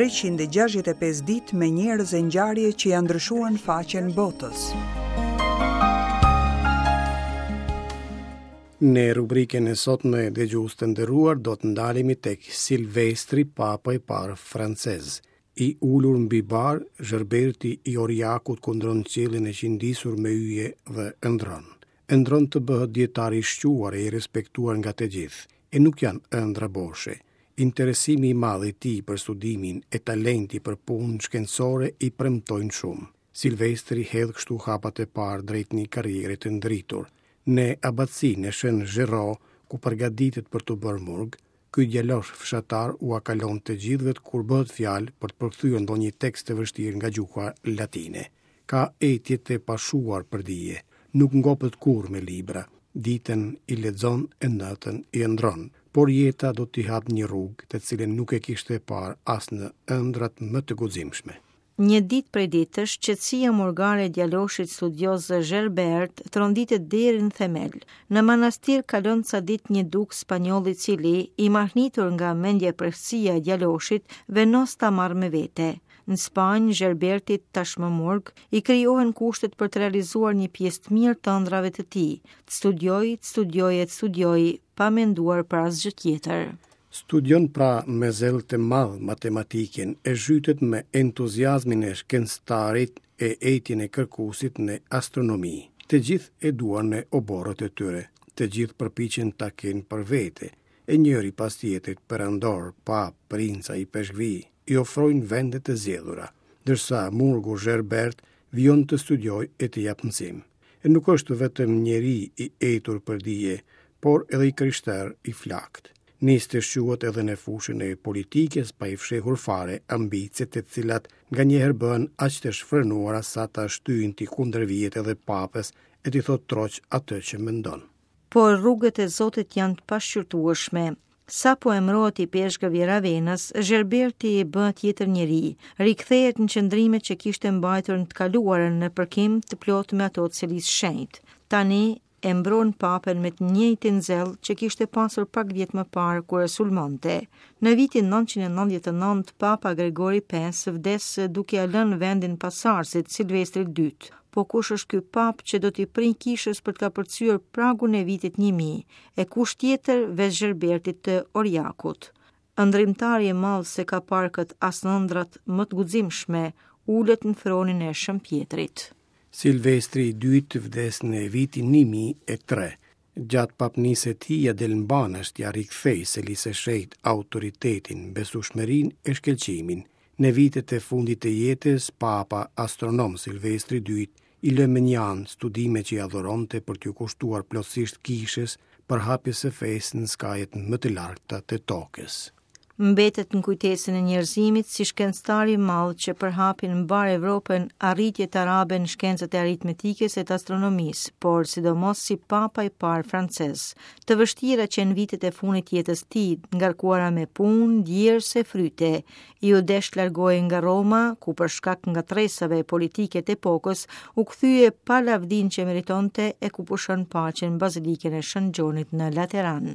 365 ditë me njerëz e ngjarje që ia ndryshuan faqen botës. Në rubrikën e sotme dëgjues të nderuar do të ndalemi tek Silvestri, papa i parë francez. I ulur mbi bar, Zherberti i Oriakut kundron qiellin e qindisur me yje dhe ëndrron. Ëndrron të bëhet dijetar i shquar e i respektuar nga të gjithë. E nuk janë ëndrra boshe. Interesimi i madh i tij për studimin e talenti për punë shkencore i premtojnë shumë. Silvestri hedh kështu hapat e parë drejt një karriere të ndritur. Në abacinë e Shën Zhero, ku përgatitet për t'u bërë murg, ky djalosh fshatar ua kalon të gjithëve kur bëhet fjalë për të përkthyer ndonjë tekst të vështirë nga gjuha latine. Ka etje të pashuar për dije. Nuk ngopet kurrë me libra. Ditën i lexon e natën i ëndrron. Por jeta do t'i hapë një rrugë, të cilën nuk e kishte parë as në ëndrrat më të guximshme. Një ditë prej ditësh, qetësia murgare e djaloshit studioz Zherbert tronditet deri në themel. Në manastir kalon ca ditë një dukë spanjoll i cili, i mahnitur nga mendjemprehtësia e djaloshit, vendos ta marrë me vete. Në Spanjë, Zherbertit, tashmë murg, i krijohen kushtet për të realizuar një pjesë të mirë të ëndrrave të tij, të studiojë, të studiojë e të studiojë, pa menduar për asgjë tjetër. Studion pra me zell të madh matematikën e zhytet me entuziazmin e shkencëtarit e etjen e kërkuesit në astronomi. Të gjithë e duan në oborret e tyre, të gjithë përpiqen ta kenë për vete, e njëri pas tjetrit perandorë, papë, princa, ipeshkvij, i ofrojnë vende të zgjedhura, ndërsa murgu Zherbert vijon të studiojë e të japë mësim. E nuk është vetëm njeri i etur për dije, por edhe i krishterë i flaktë. Nis të shquhet edhe në fushën e politikës pa i fshehur fare ambiciet të cilat nganjëherë bëhen aq të shfrenuara sa ta shtyjnë t'i kundërvihet edhe papës e t'i thotë troç atë që mendon. Por rrugët e Zotit janë të pashqyrtueshme. Sapo emërohet ipeshkëv i Ravenës, Zherberti bëhet tjetër njeri, rikthehet në qëndrimet që kishte mbajtur në të kaluarën në përkim të plotë me ato të Selisë së Shenjtë. Tani e mbron papën me të njëjtin zell që kishte pasur pak vjet më parë kur e sulmonte. Në vitin 999 Papa Gregori V vdes duke ia lënë vendin pasardhësit Silvestrit II. Po kush është ky papë që do t'i prijë kishës për të kapërcyer pragun e vitit 1000, e kush tjetër veç Zherbertit të Oriakut? Ëndërrimtari i madh s'e ka parë këtë as në ëndrrat më të guximshme, ulet në fronin e Shën Pjetrit. Silvestri i dytë vdes në vitin 1003. Gjatë papnisë së tij ia del mbanë t'ia rikthejë Selisë së Shenjtë autoritetin, besueshmërinë e shkëlqimin. Në vitet e fundit të jetës, Papa astronom Silvestri i dytë i lë mënjanë studimet që i adhuronte për t'iu kushtuar plotësisht kishës, përhapjes së fesë në skajet më të largëta të tokës. Mbetet në kujtesën e njerëzimit si shkencëtar i madh që përhapi në mbarë Evropën arritjet arabe në shkencat e aritmetikës e të astronomisë, por sidomos si papa i parë francez. Të vështira qenë vitet e fundit të jetës tij, ngarkuara me punë, djersë e fryte. Iu desh të largohej nga Roma, ku për shkak ngatërresave politike të epokës, u kthye pa lavdinë që meritonte e ku pushon paqe në Bazilikën e Shën Gjonit në Lateran.